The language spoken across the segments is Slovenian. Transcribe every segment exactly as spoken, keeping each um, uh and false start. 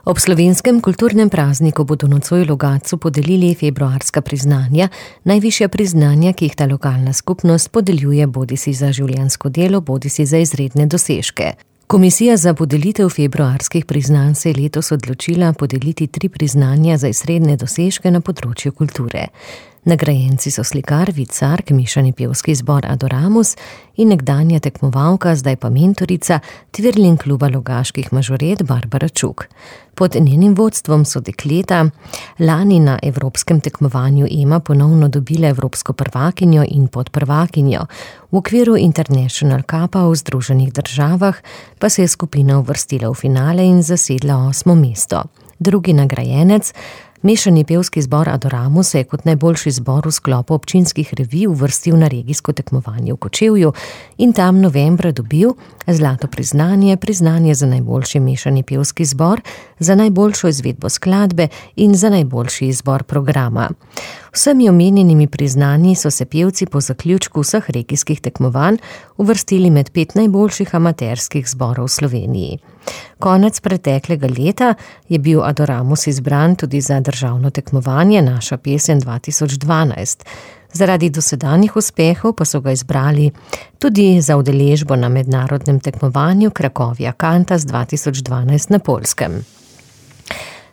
Ob slovenskem kulturnem prazniku bodo nocoj Logatcu podelili februarska priznanja, najvišja priznanja, ki jih ta lokalna skupnost podeljuje bodisi za življenjsko delo, bodisi za izredne dosežke. Komisija za podelitev februarskih priznanj se je letos odločila podeliti tri priznanja za izredne dosežke na področju kulture. Nagrajenci so slikar Vid Sark, mešani pevski zbor Adoramus in nekdanja tekmovalka, zdaj pa mentorica Twirling kluba Logaških mažoret Barbara Čuk. Pod njenim vodstvom so dekleta lani na evropskem tekmovanju Ema ponovno dobile evropsko prvakinjo in podprvakinjo. V okviru International Cupa v Združenih državah pa se je skupina uvrstila v finale in zasedla osmo mesto. Drugi nagrajenec, mešani pevski zbor Adoramus, se je kot najboljši zbor v sklopu občinskih revij uvrstil na regijsko tekmovanje v Kočevju in tam novembra dobil zlato priznanje, priznanje za najboljši mešani pevski zbor, za najboljšo izvedbo skladbe in za najboljši izbor programa. Vsemi omenjenimi priznanji so se pevci po zaključku vseh regijskih tekmovanj uvrstili med pet najboljših amaterskih zborov v Sloveniji. Konec preteklega leta je bil Adoramus izbran tudi za državno tekmovanje Naša pesem dva tisoč dvanajst. Zaradi dosedanjih uspehov pa so ga izbrali tudi za udeležbo na mednarodnem tekmovanju Cracovia Cantas dva tisoč dvanajst na Poljskem.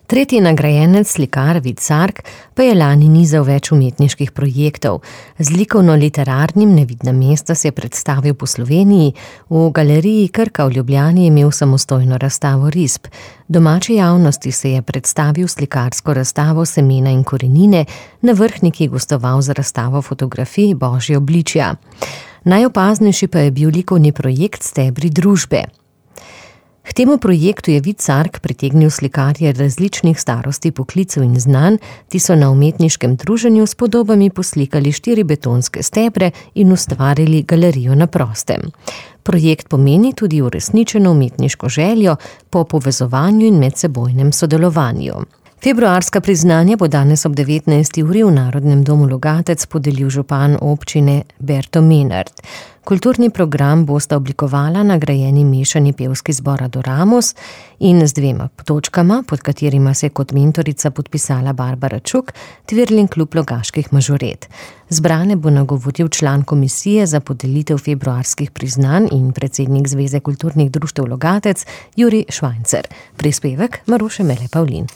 Tretji nagrajenec, slikar Vid Sark, pa je lani nizal več umetniških projektov. Z likovno-literarnim Nevidna mesta se je predstavil po Sloveniji, v galeriji Krka v Ljubljani je imel samostojno razstavo risb. Domači javnosti se je predstavil slikarsko razstavo Semena in korenine, na Vrhniki gostoval za razstavo fotografij Božje obličja. Najopaznejši pa je bil likovni projekt Stebri družbe. K temu projektu je Vid Sark pritegnil slikarje različnih starosti, poklicev in znanj, ti so na umetniškem druženju s podobami poslikali štiri betonske stebre in ustvarili galerijo na prostem. Projekt pomeni tudi uresničeno umetniško željo po povezovanju in medsebojnem sodelovanju. Februarska priznanja bo danes ob devetnajsti uri v Narodnem domu Logatec podelil župan občine Berto Menard. Kulturni program bosta oblikovala nagrajeni mešani pevski zbor Adoramus in z dvema točkama, pod katerima se je kot mentorica podpisala Barbara Čuk, Twirling klub Logaških mažoret. Zbrane bo nagovoril član komisije za podelitev februarskih priznanj in predsednik Zveze kulturnih društev Logatec Jurij Švajncer. Prispevek Maruše Mele Pavlin.